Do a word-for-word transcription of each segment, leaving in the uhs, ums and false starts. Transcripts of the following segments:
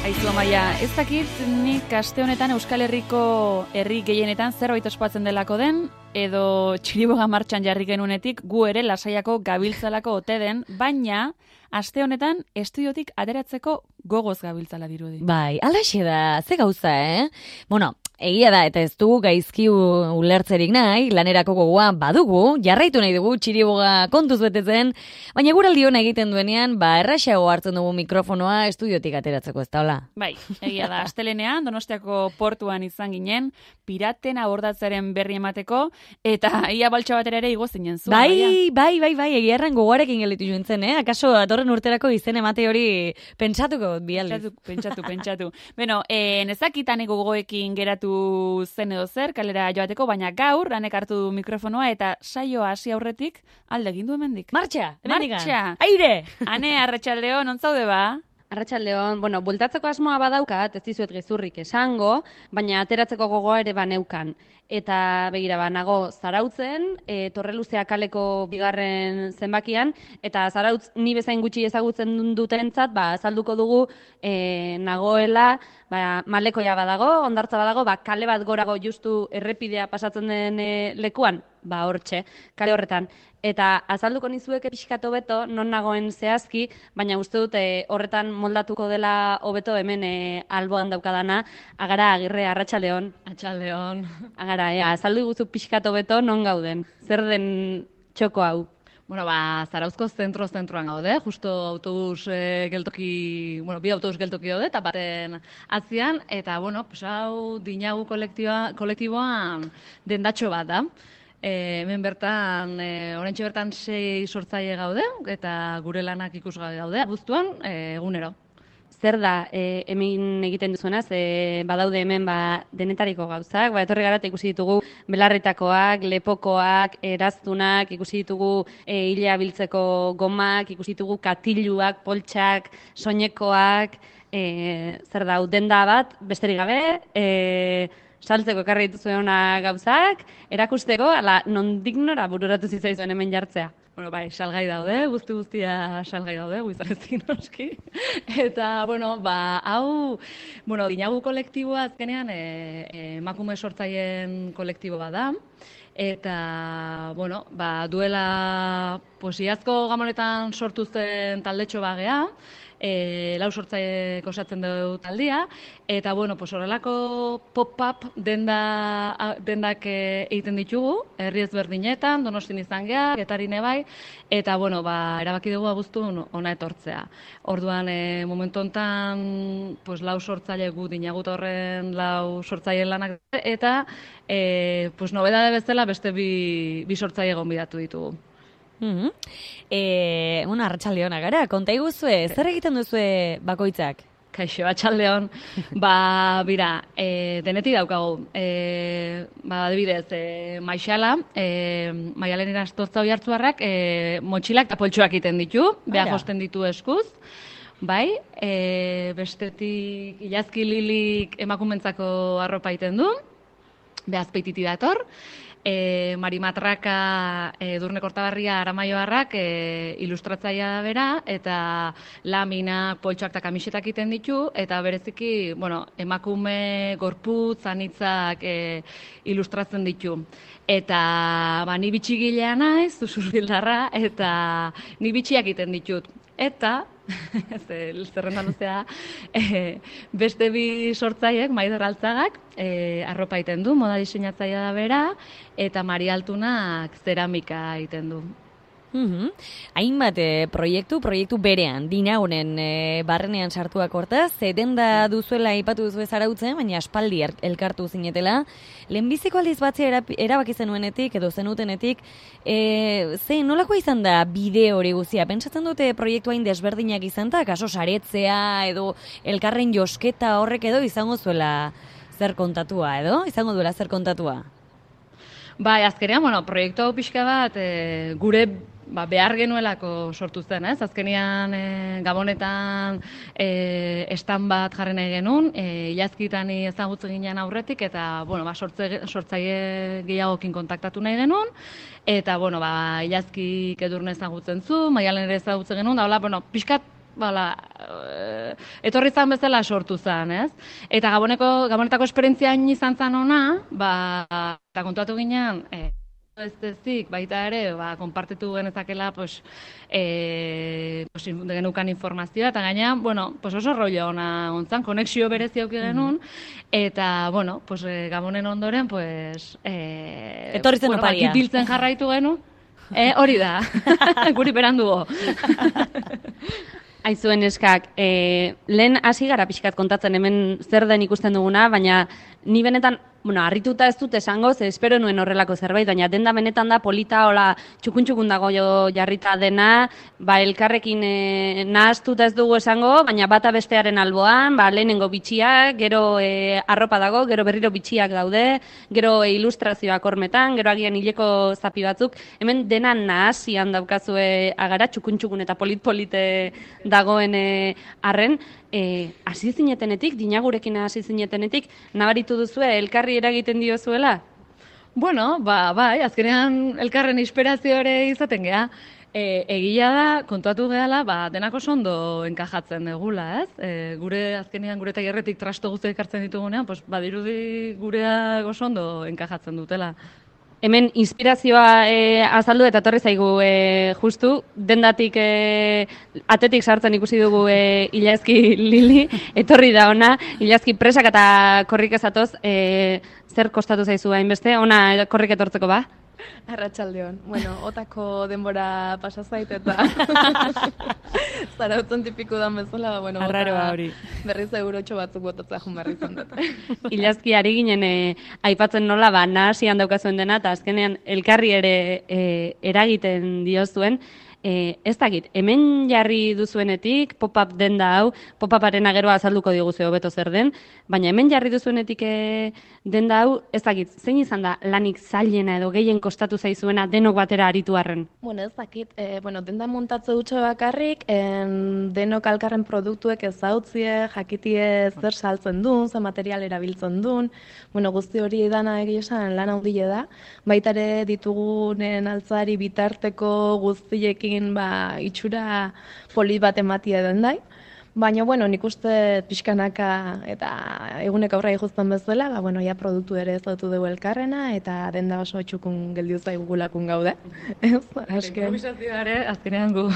Aizu Amaia, ez dakit nik aste honetan Euskal Herriko herri gehienetan zerbait ospatzen delako den, edo txiriboga martxan jarri genunetik gu ere lasaiako gabiltzalako ote den, baina aste honetan estudiotik ateratzeko gogoz gabiltzala dirudi. Bai, alaxe da, ze gauza, eh? Bueno, egia da, eta ez dugu gaizki ulertzerik nahi, lanerako gogoa badugu, jarraitu nahi dugu txiriboga kontuz betetzen, baina guraldi hona egiten duenean, ba, erraxago hartzen dugu mikrofonoa estudiotik ateratzeko, ez da hola? Bai, egia da, astelenean, Donostiako portuan izan ginen, piraten abordatzearen berri emateko, eta ia baltsa batera ere igo zinen zu. Bai, bai, bai, bai, egia erran gogoarekin gelitu joan zen, eh? Akaso datorren urterako izen emate hori pentsatuko bialdiz. Pentsatu, pentsatu, pentsatu. Beno, eh, nezakitan gogoekin geratu zen edo zer, kalera joateko, baina gaur, lanek hartu du mikrofonoa, eta saioa hasi aurretik alde egin du hemendik. Martxa! Martxa! Aire! Ane, arratsaldeon, non zaude ba? Arratsaldeon, bueno, bultatzeko asmoa badaukat, ez dizuet gezurrik esango, baina ateratzeko gogoa ere baneukan. Eta begira banago Zarautzen, e, Torreluzea kaleko bigarren zenbakian, eta Zarautz ni bezain gutxi ezagutzen dutentzat, ba, azalduko dugu e, nagoela, ba, malekoia badago, hondartza badago, ba, kale bat gorago justu errepidea pasatzen den e, lekuan, ba, hortxe, kale horretan. Eta azalduko nizueke pixkat hobeto, non nagoen zehazki, baina uste dut e, horretan moldatuko dela hobeto hemen e, alboan daukadana, Agara Agirre, arratsaldeon. Arratsaldeon. Agara, e, azaldu guzu pixkat hobeto non gauden, zer den txoko hau? Bueno, ba, Zarauzko zentro-zentroan gaude, justo autobus e, geltoki, bueno, bi autobus geltoki daude, eta baten atzian, eta, bueno, pues, hau dinagu kolektiboa, kolektiboan dendatxo bat da. E, hemen bertan, e, oraintxe bertan sei sortzaile gaude, eta gure lanak ikusgai daude, abuztuan, e, egunero. Zer da, e, hemen egiten duzuenaz, e, badaude hemen ba, denetariko gauzak, ba, etorri gara eta ikusi ditugu belarritakoak, lepokoak, eraztunak, ikusi ditugu e, hilea biltzeko gomak, ikusi ditugu katiluak, poltsak, soinekoak, e, zer da, denda bat, besterik gabe, e, saltzeko ekarri dituzuena gauzak, erakusteko, ala, nondik nora bururatu zitzaizuen hemen jartzea. Bueno, bai, salgai daude, guzti guztia salgai daude, guizarezkin noski. Eta, bueno, ba, hau, bueno, dinagu kolektiboa azkenean e, e, emakume sortzaien kolektibo bat da. Eta, bueno, ba, duela, pues, iazko gamonetan sortu zen taldetxo bagea, E, lau sortzaile osatzen dugu taldia, eta bueno, pues horrelako pop-up denda, dendak egiten ditugu, herri ezberdinetan, Donostin izan geha, Getarine bai, eta bueno, ba, erabaki dugu abuztun ona etortzea. Orduan, e, momentu honetan, pues, lau sortzaile gu dinagut horren lau sortzaile lanak, eta e, pues, nobedade bezala beste bi, bi sortzaile gonbidatu ditugu. Mm-hmm. E, bueno, arratsaldeon gara, konta iguzue, zer egiten duzue bakoitzak? Kaixo, atxaldeon, ba, bira, e, denetik daukagu, e, ba, adibidez, e, maixala, e, maialen irastotza hoi hartzuarrak, e, motxilak eta poltsuak egiten ditu, beha josten ditu eskuz, bai, e, bestetik ilazki lilik emakumentzako arropa egiten du, beha azpeititi dator, E, Marimatraka e, Durne Kortabarria Aramaioarrak e, ilustratzailea da bera, eta laminak, poltsoak eta kamisetak egiten ditu, eta bereziki, bueno, emakume gorputz, anitzak e, ilustratzen ditu. Eta ba, ni bitxigilea naiz, zuzurbildarra, eta ni bitxiak egiten ditut. Eta, zerrendan luzea, e, beste bi sortzaiek, Maider Altzagak, e, arropa egiten du, moda diseinatzailea da bera, eta Mari Altunak zeramika egiten du. Mm-hmm. Hainbat e, proiektu, proiektu berean, dinagunen e, barrenean sartuak hortaz, denda duzuela aipatu duzu Zarautzen, baina aspaldi elkartu zinetela. Lehenbiziko aldiz batzea erabaki zenuenetik edo zenutenetik, e, ze nolako izan da bide hori guztia? Pentsatzen dute proiektu hain desberdinak izan da, kaso saretzea edo elkarren josketa horrek edo izango zuela zer kontatua edo? Izango duela zer kontatua? Bai, azkenean, bueno, proiektu hau pixka bat e, gure ba, behar genuelako sortu zen, ez? Azkenean e, Gabonetan e, estan bat jarri nahi genuen, e, ilazkitan ezagutzen ginen aurretik, eta bueno, ba, sortze, sortzaile gehiagokin kontaktatu nahi genuen, eta bueno, ba, ilazkik Edurne ezagutzen zu, Maialen ere ezagutzen genuen, da hola, bueno, pixkat, bala, e, etorri zan bezala sortu zan, ez? Eta Gaboneko, Gabonetako esperientzia hain izan zan ona, ba, eta kontuatu ginen, e, ez ezik, baita ere, ba, konpartitu genezakela, pues, e, pues, genukan informazioa, eta gainean, bueno, pues oso rollo ona ontzan, konexio berezi auki genuen, eta, bueno, pues, e, Gabonen ondoren, pues, e, etorri zen bueno, oparia. ba, kitiltzen jarraitu genuen, e, hori da, guri berandugo. Aizuen eskak, e, lehen hasi gara pixkat kontatzen hemen zer den ikusten duguna, baina ni benetan, bueno, harrituta ez dut esango, ze espero nuen horrelako zerbait, baina denda benetan da polita, hola, txukun-txukun dago jo jarrita dena, ba, elkarrekin e, nahaztuta ez dugu esango, baina bata bestearen alboan, ba, lehenengo bitxiak, gero e, arropa dago, gero berriro bitxiak daude, gero e, ilustrazioak hormetan, gero agian hileko zapi batzuk, hemen dena nahazian daukazue agara, txukun-txukun eta polit-polite dagoen e, arren, E, hasi zinetenetik, dinagurekin hasi zinetenetik, nabaritu duzue elkarri eragiten diozuela? Bueno, ba, bai, azkenean elkarren inspirazio ere izaten gea. E, egia da, kontuatu gehala, ba, denako ondo enkajatzen egula, ez? E, gure azkenean gure tailerretik trasto guztiak ekartzen ditugunean, pues, badirudi gurea oso ondo enkajatzen dutela. Hemen inspirazioa e, azaldu eta etorri zaigu e, justu, dendatik e, atetik sartzen ikusi dugu e, Ilazki Lili, etorri da ona, Ilazki presak eta korrik ezatoz, e, zer kostatu zaizu hainbeste, ona korrik etortzeko ba? Arratsaldeon. Bueno, otako denbora pasa zait eta zarautzen tipiko dan bezala, ba, bueno, Arraroa hori. Berriz eurotxo batzuk botatzea jun berriz dut. Ilazki ari ginen e, aipatzen nola, ba, nahasian daukazuen dena, eta azkenean elkarri ere e, eragiten diozuen. E, ez dakit, hemen jarri duzuenetik, pop-up denda hau, pop-uparen ageroa azalduko diguzu hobeto zer den, baina hemen jarri duzuenetik e, denda hau, ez dakit, zein izan da lanik zailena edo gehien kostatu zaizuena denok batera aritu arren? Bueno, ez dakit, e, bueno, denda montatze dutxo bakarrik, en, denok alkarren produktuek ezautzie, jakitie zer saltzen duen, zer material erabiltzen duen, bueno, guzti hori dana egia esan lan handile da, baita ere ditugunen altzari bitarteko guztiekin ba, itxura polit bat ematia den dai. Baina, bueno, nik uste pixkanaka eta egunek aurra ikusten bezala, ba, bueno, ja produktu ere ezautu dugu elkarrena eta denda oso txukun geldiu zaigulakun gaude. Ez, asken. Improvisazioa ere, azkenean gu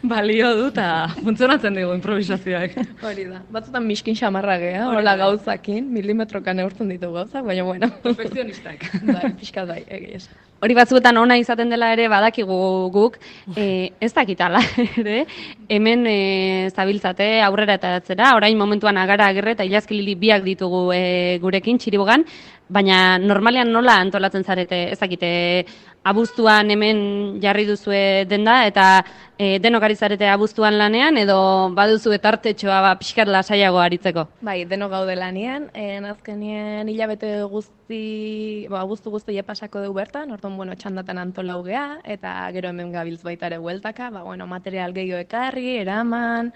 balio du eta funtzionatzen dugu improvisazioak. Hori da, batzutan miskin xamarra geha, hola gauzakin, milimetrokan neurtzen ditu gauzak, baina, bueno. Perfekzionistak. Bai, pixka bai, egia esan. Hori batzuetan ona izaten dela ere badakigu guk, e, ez dakitala ere, hemen e, zabiltzate aurrera eta atzera, orain momentuan Agara Agirre eta Ilazki Lili biak ditugu e, gurekin Txiribogan, baina normalean nola antolatzen zarete, ez dakite, abuztuan hemen jarri duzue denda eta e, denok ari zarete abuztuan lanean edo baduzue tartetxoa ba, pixkat lasaiago aritzeko? Bai, denok gaude lanean, en azkenien hilabete guzti, ba, abuztu guzti pasako dugu bertan, orduan, bueno, txandatan antolau gea, eta gero hemen gabiltz baita ere hueltaka, ba, bueno, material gehiago ekarri, eraman,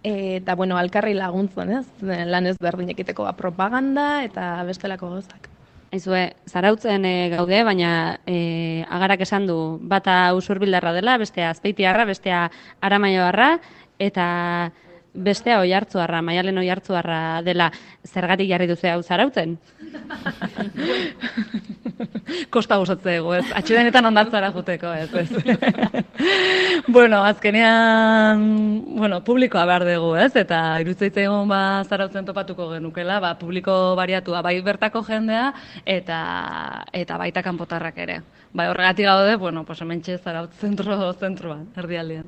eta, bueno, alkarri laguntzen, ez? Lan ez berdin ekiteko ba, propaganda eta bestelako gozak. Aizue, zarautzen e, gaude, baina e, Agarak esan du bata Usurbildarra dela, bestea Azpeitiarra, bestea Aramaioarra, eta bestea Oiartzuarra, Maialen Oiartzuarra dela. Zergatik jarri duzu hau zarautzen? Kosta gozatzego, ez? Atxedenetan ondatzara juteko, ez, ez. Bueno, azkenean, bueno, publikoa behar dugu, ez? Eta irutzaitzaigun ba zarautzen topatuko genukela, ba, publiko bariatua, bai bertako jendea, eta eta baita kanpotarrak ere. Bai, horregatik gaude, bueno, pues hementxe Zarautz zentro zentroan, erdialdean.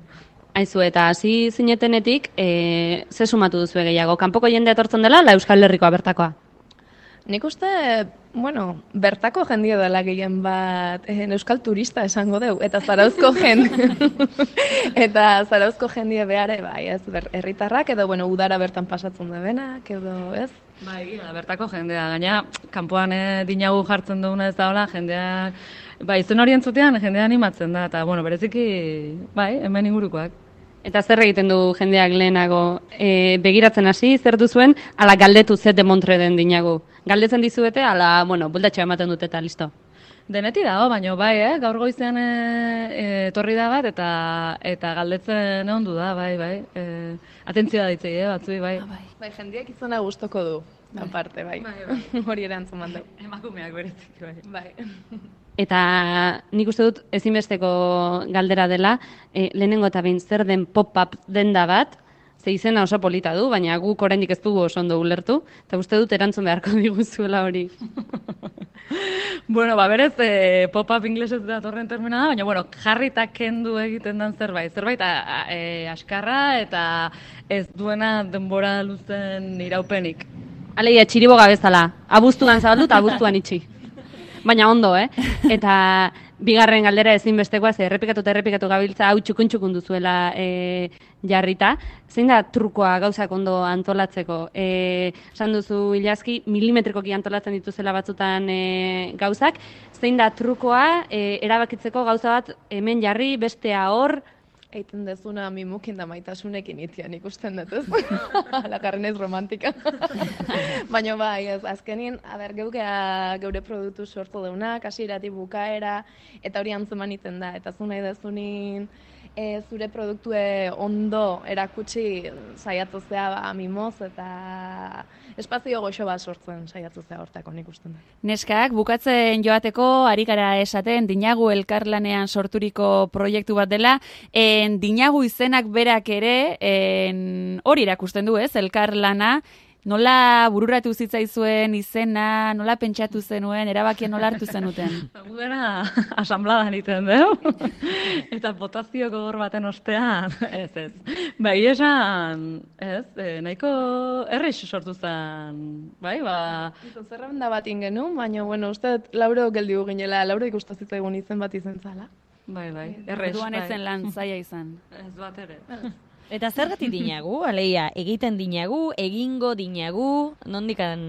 Aizu, eta hasi zinetenetik, e, ze sumatu duzu gehiago? Kanpoko jendea etortzen dela, la Euskal Herrikoa bertakoa? Nik uste, bueno, bertako jendia dela gehien bat eh, euskal turista esango deu, eta zarauzko jende, eta zarauzko jendia behare, bai, ez, ber, herritarrak, edo, bueno, udara bertan pasatzen da benak, edo, ez? Bai, egia, bertako jendea, gaina, kanpoan eh, dinagu jartzen duguna ez da hola, jendeak, bai, izen hori entzutean jendea animatzen da, eta, bueno, bereziki, bai, hemen ingurukoak. Eta zer egiten du jendeak lehenago? E, begiratzen hasi, zer duzuen, ala galdetu ze demontre den dinagu. Galdetzen dizuete, ala, bueno, bultatxo ematen dute eta listo. Deneti dago, baina bai, eh? Gaur goizean e, etorri da bat, eta eta galdetzen ondu da, bai, bai. E, atentzioa ditzei, eh, batzui, bai. Ah, bai. Bai, jendeak izena gustoko du, aparte, bai. Bai, bai. Hori erantzun mandu. Emakumeak berezik, bai. Bai. Eta nik uste dut ezinbesteko galdera dela, e, lehenengo eta behin zer den pop-up denda bat, ze izena oso polita du, baina guk oraindik ez dugu oso ondo ulertu, eta uste dut erantzun beharko diguzuela hori. Bueno, ba, berez, e, pop-up inglesez datorren termina da, baina, bueno, jarri eta kendu egiten den zerbait. Zerbait a, a, e, askarra eta ez duena denbora luzen iraupenik. Alegia, txiriboga bezala, abuztuan zabaldu eta abuztuan itxi. Baina ondo, eh? Eta bigarren galdera ezinbestekoa, ze errepikatu eta errepikatu gabiltza hau txukun-txukun duzuela e, jarrita. Zein da trukoa gauzak ondo antolatzeko? E, esan duzu, Ilazki, milimetrikoki antolatzen dituzela batzutan e, gauzak. Zein da trukoa e, erabakitzeko gauza bat hemen jarri, bestea hor? Eiten dezuna mimukin da maitasunekin itian ikusten dut, ez? Lakarren ez romantika. Baina bai, ez, azkenin, a ber, geukea geure produktu sortu deunak, hasieratik bukaera, eta hori antzeman iten da. Eta zu nahi dezunin e, zure produktue ondo erakutsi saiatu zea ba, mimoz, eta espazio goxo bat sortzen saiatu zea hortako nik usten da. Neskak, bukatzen joateko, ari gara esaten, Dinagu elkarlanean sorturiko proiektu bat dela, en Dinagu izenak berak ere, en, hori erakusten du, ez, elkarlana, nola bururatu zitzaizuen izena, nola pentsatu zenuen, erabakia nola hartu zenuten? Gudera asambladan iten, deu? Eta botazio gogor baten ostean, ez, ez. Bai, esan, ez, e, nahiko errex sortu zen, bai, ba... Zerrenda bat ingenuen, baina, bueno, uste Lauro geldiu ginela, Lauro ikustazitzaigun izen bat izen zala. Bai, bai, errex, Orduan bai. ezen lan zaila izan. Ez bat ere. Eta zergatik dinagu, aleia, egiten dinagu, egingo dinagu, nondikan,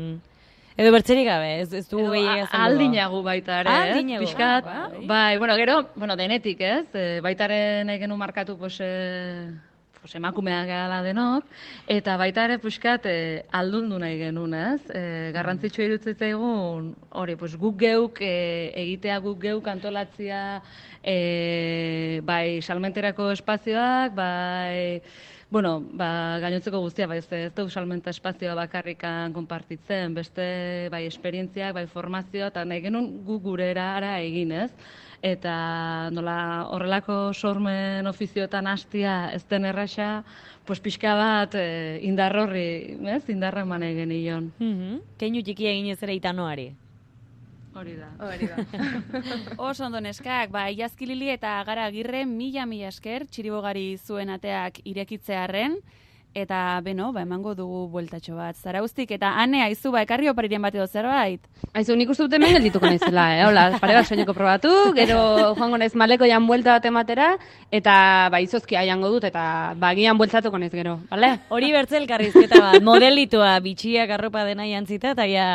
edo bertzerik gabe, ez, ez du gehiago azalduko. Aldinagu baita ere, Ah, ez? aldinagu. Piskat, Ah, bai. bai, bueno, gero, bueno, denetik, ez? E, baita ere nahi genuen markatu, pues, e, pues, emakumeak gala denok, eta baita ere, piskat, e, aldundu nahi genuen, ez? E, garrantzitsua irutzaitzaigun, hori, pues, guk geuk, e, egitea guk geuk antolatzia, e, bai, salmenterako espazioak, bai, bueno, ba, gainotzeko guztia, bai, ez, ez dugu salmenta espazioa bakarrikan konpartitzen, beste, bai, esperientziak, bai, formazioa, eta nahi genuen gu gure erara egin, ez? Eta nola horrelako sormen ofizioetan hastia ez den erraxa, pues pixka bat e, indar horri, ez? Indarra eman egin genion. Mhm. Keinu txikia egin ez ere itanoari. Hori da. Hori da. Oso ondo neskak, ba, Iazkilili eta Gara Agirre mila mila esker txiribogari zuen ateak irekitzearren, eta beno, ba, emango dugu bueltatxo bat. Zarauztik, eta ane, aizu, ba, ekarri opariren bat edo zerbait? Aizu, nik uste dut hemen geldituko naizela, eh? Hola, pare bat soineko probatu, gero joango naiz maleko jan buelta bat ematera, eta ba, izozkia jango dut, eta bagian bueltatuko naiz gero, bale? Hori bertze elkarrizketa bat, modelitua, bitxiak arropa dena jantzita, eta ja,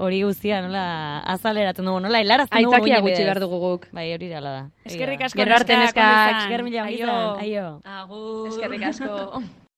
hori guztia, nola, azaleratzen dugu, nola, helarazten dugu. Aitzakia muina gutxi bidez. behar dugu guk. Bai, hori dela da. Eskerrik asko Gero arte, neskak, neskak. ondo izan. Esker mila ongi Aio. izan. Aio. Agur. Eskerrik asko.